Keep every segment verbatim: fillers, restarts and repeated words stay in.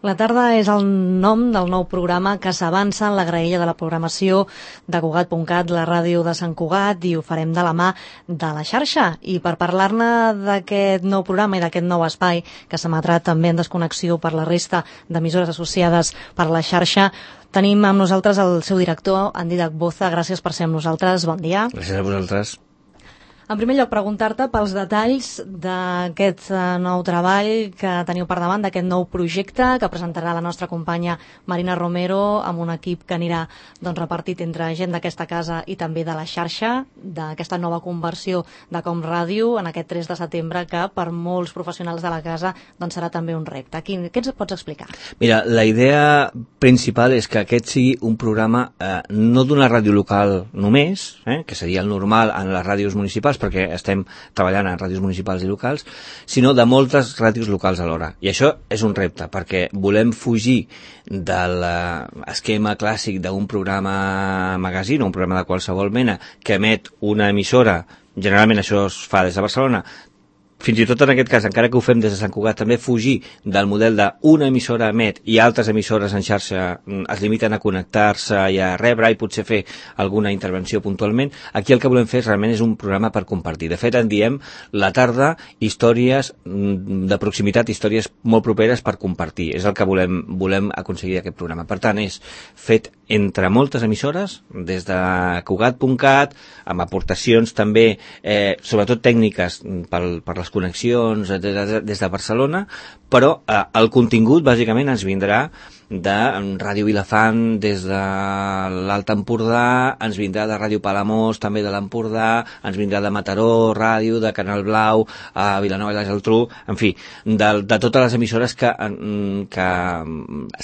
La tarda és el nom del nou programa que s'avança en la graella de la programació de Cugat punt cat, la ràdio de Sant Cugat, i ho farem de la mà de la xarxa. I per parlar-ne d'aquest nou programa i d'aquest nou espai que s'emetrà també en desconnexió per la resta d'emissores associades per la xarxa, tenim amb nosaltres el seu director, en Dídac Boza. Gràcies per ser amb nosaltres. Bon dia. Gràcies a vosaltres. En primer lloc, preguntar-te pels detalls d'aquest nou treball que teniu per davant, d'aquest nou projecte que presentarà la nostra companya Marina Romero amb un equip que anirà doncs, repartit entre gent d'aquesta casa i també de la xarxa, d'aquesta nova conversió de Com Ràdio en aquest tres de setembre, que per molts professionals de la casa doncs, serà també un repte. Quin, què ens pots explicar? Mira, la idea principal és que aquest sigui un programa eh, no d'una ràdio local només, eh, que seria el normal en les ràdios municipals, perquè estem treballant en ràdios municipals i locals, sinó de moltes ràdios locals alhora. I això és un repte, perquè volem fugir de l'esquema clàssic d'un programa magazine o un programa de qualsevol mena que emet una emissora. Generalment això es fa des de Barcelona. Fins i tot en aquest cas, encara que ho fem des de Sant Cugat, també fugir del model d'una emissora emet i altres emissores en xarxa es limiten a connectar-se i a rebre i potser fer alguna intervenció puntualment. Aquí el que volem fer realment és un programa per compartir. De fet, en diem la tarda històries de proximitat, històries molt properes per compartir. És el que volem, volem aconseguir aquest programa. Per tant, és fet entre moltes emissores, des de Cugat punt cat, amb aportacions també, eh, sobretot tècniques per, per les connexions des de Barcelona, però eh, el contingut bàsicament ens vindrà de Ràdio Vilafant des de l'Alt Empordà, ens vindrà de Ràdio Palamós, també de l'Empordà, ens vindrà de Mataró, Ràdio, de Canal Blau, a Vilanova i la Geltrú, en fi, de, de totes les emissores que, que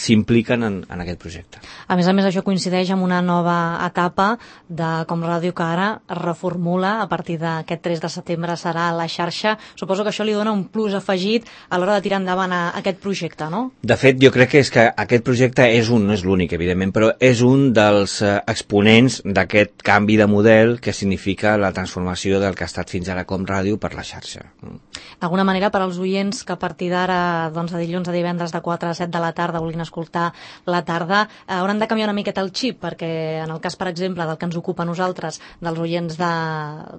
s'impliquen en, en aquest projecte. A més a més, això coincideix amb una nova etapa de Com Ràdio, que ara es reformula a partir d'aquest tres de setembre, serà a la xarxa. Suposo que això li dona un plus afegit a l'hora de tirar endavant a aquest projecte, no? De fet, jo crec que és que aquest projecte és un, no és l'únic, evidentment, però és un dels eh, exponents d'aquest canvi de model que significa la transformació del que ha estat fins ara Com Ràdio per la xarxa. D'alguna manera, per als oients que a partir d'ara, doncs, de dilluns a divendres de quatre a set de la tarda vulguin escoltar la tarda, eh, hauran de canviar una miqueta el xip, perquè en el cas, per exemple, del que ens ocupa a nosaltres, dels oients de...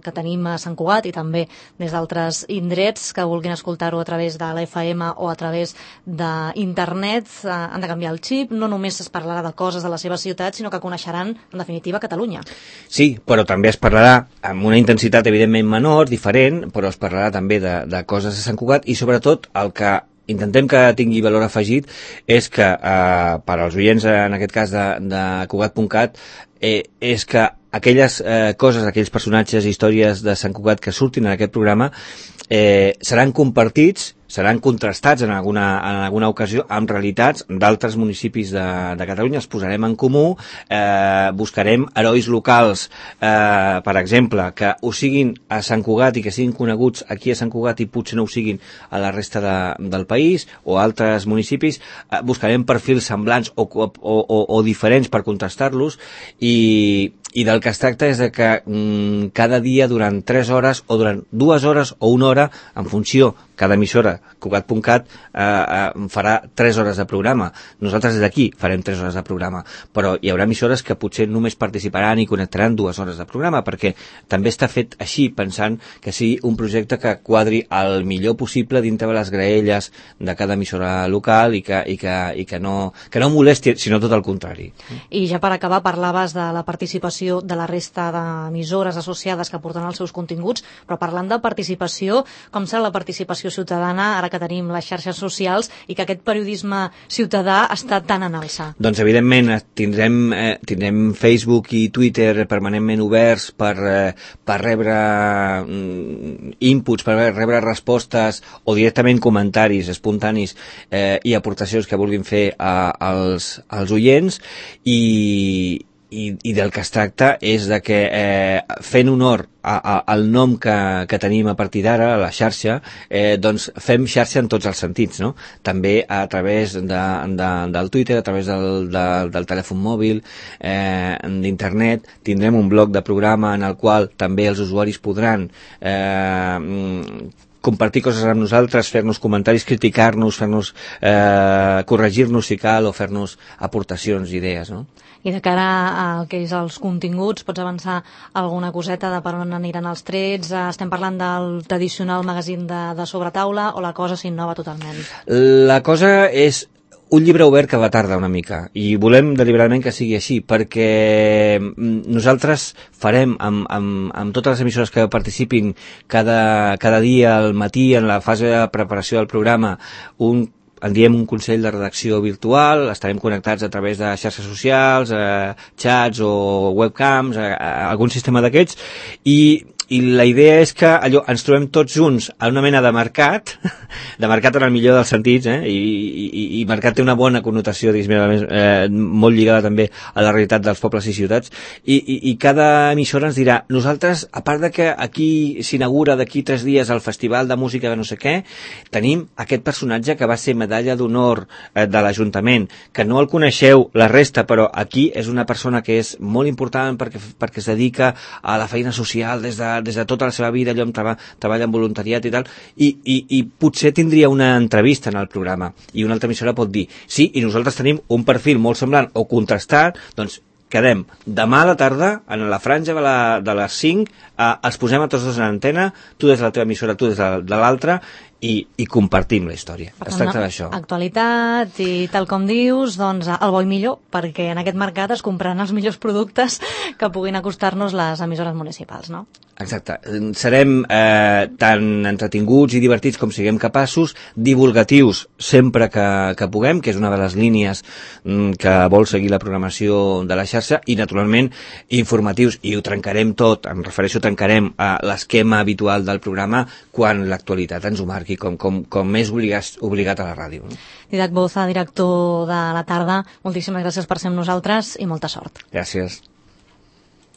que tenim a Sant Cugat i també des d'altres indrets que vulguin escoltar-ho a través de la F M o a través d'internet, eh, han de canviar el xip. No només es parlarà de coses de la seva ciutat, sinó que coneixeran, en definitiva, Catalunya. Sí, però també es parlarà amb una intensitat evidentment menor, diferent, però es parlarà també de, de coses de Sant Cugat i sobretot el que intentem que tingui valor afegit és que eh, per als oients, en aquest cas de, de Cugat punt cat, eh, és que aquelles eh, coses, aquells personatges i històries de Sant Cugat que surtin en aquest programa eh, seran compartits, seran contrastats en alguna, en alguna ocasió amb realitats d'altres municipis de, de Catalunya. Els posarem en comú, eh, buscarem herois locals, eh, per exemple, que ho siguin a Sant Cugat i que siguin coneguts aquí a Sant Cugat i potser no ho siguin a la resta de, del país o altres municipis. Eh, buscarem perfils semblants o, o, o, o diferents per contrastar-los i, i del que es tracta és de que mm, cada dia durant tres hores o durant dues hores o una hora, en funció, cada emissora, Cugat punt cat, eh, eh, farà tres hores de programa. Nosaltres des d'aquí farem tres hores de programa, però hi haurà emissores que potser només participaran i connectaran dues hores de programa, perquè també està fet així, pensant que sigui un projecte que quadri el millor possible dintre de les graelles de cada emissora local i que, i que, i que, no, que no molesti, sinó tot el contrari. I ja per acabar, parlaves de la participació de la resta d'emissores associades que porten els seus continguts, però parlant de participació, com serà la participació ciutadana ara que tenim les xarxes socials i que aquest periodisme ciutadà està tan en alça? Doncs evidentment tindrem, eh, tindrem Facebook i Twitter permanentment oberts per, eh, per rebre mm, inputs, per rebre respostes o directament comentaris espontanis eh, i aportacions que vulguin fer a, als, als oients i I, i del que es tracta és de que eh, fent honor a, a, al nom que, que tenim a partir d'ara, a la xarxa, eh, doncs fem xarxa en tots els sentits, no? També a través de, de, del Twitter, a través del, de, del telèfon mòbil, eh, d'internet, tindrem un bloc de programa en el qual també els usuaris podran eh, compartir coses amb nosaltres, fer-nos comentaris, criticar-nos, fer-nos eh, corregir-nos si cal o fer-nos aportacions, idees, no? I de cara al que és els continguts, pots avançar alguna coseta de per on aniran els trets? Estem parlant del tradicional magazín de, de sobretaula o la cosa s'innova totalment? La cosa és un llibre obert cada tarda una mica, i volem deliberadament que sigui així, perquè nosaltres farem amb, amb, amb totes les emissores que participin cada, cada dia al matí en la fase de preparació del programa un en diem un consell de redacció virtual, estarem connectats a través de xarxes socials, eh, xats o webcams, a, a algun sistema d'aquests, i, i la idea és que allò ens trobem tots junts a una mena de mercat, de mercat en el millor dels sentits, eh? I, i, i mercat té una bona connotació, diguéssim, eh, molt lligada també a la realitat dels pobles i ciutats, i, i, i cada emissora ens dirà, nosaltres, a part de que aquí s'inaugura d'aquí tres dies el festival de música de no sé què, tenim aquest personatge que va ser medalla d'honor eh, de l'Ajuntament, que no el coneixeu la resta, però aquí és una persona que és molt important perquè, perquè es dedica a la feina social des de, des de tota la seva vida, allò amb treba, treballa en voluntariat i tal, i, i, i potser tindria una entrevista en el programa, i una altra emissora pot dir, sí, i nosaltres tenim un perfil molt semblant o contrastat, doncs quedem demà a la tarda, en la franja de, la, de les cinc, eh, els posem a tots dos en antena, tu des de la teva emissora, tu des de, de l'altra, i, i compartim la història. Es tracta d'això. Actualitat i tal com dius, doncs el bo i millor, perquè en aquest mercat es compraran els millors productes que puguin acostar-nos les emissores municipals, no? Exacte. Serem eh, tan entretinguts i divertits com siguem capaços, divulgatius sempre que, que puguem, que és una de les línies mm, que vol seguir la programació de la xarxa, i naturalment informatius, i ho trencarem tot, em refereixo, trencarem a l'esquema habitual del programa quan l'actualitat ens ho marqui, com, com, com més obligat, obligat a la ràdio. No? Didac Boza, director de La Tarda, moltíssimes gràcies per ser amb nosaltres i molta sort. Gràcies.